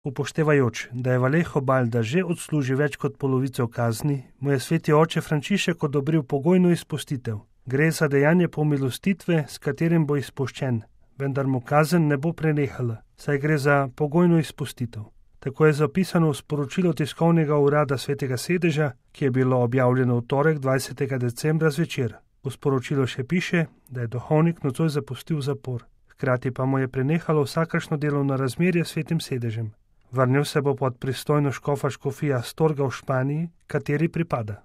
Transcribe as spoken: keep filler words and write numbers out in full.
Upoštevajoč, da je Vallejo Balda že odslužil več kot polovico kazni, mu je sveti oče Frančišek odobril pogojno izpustitev. Gre za dejanje pomilostitve, s katerim bo izpuščen, vendar mu kazen ne bo prenehala, saj gre za pogojno izpustitev. Tako je zapisano v sporočilu tiskovnega urada Svetega sedeža, ki je bilo objavljeno v torek dvajsetega decembra zvečer. V sporočilu še piše, da je duhovnik nocoj zapustil zapor, hkrati pa mu je prenehalo vsakršno delovno razmerje s Svetim sedežem. Vrnil se bo pod pristojno škofa škofija Astorga v Španiji, kateri pripada.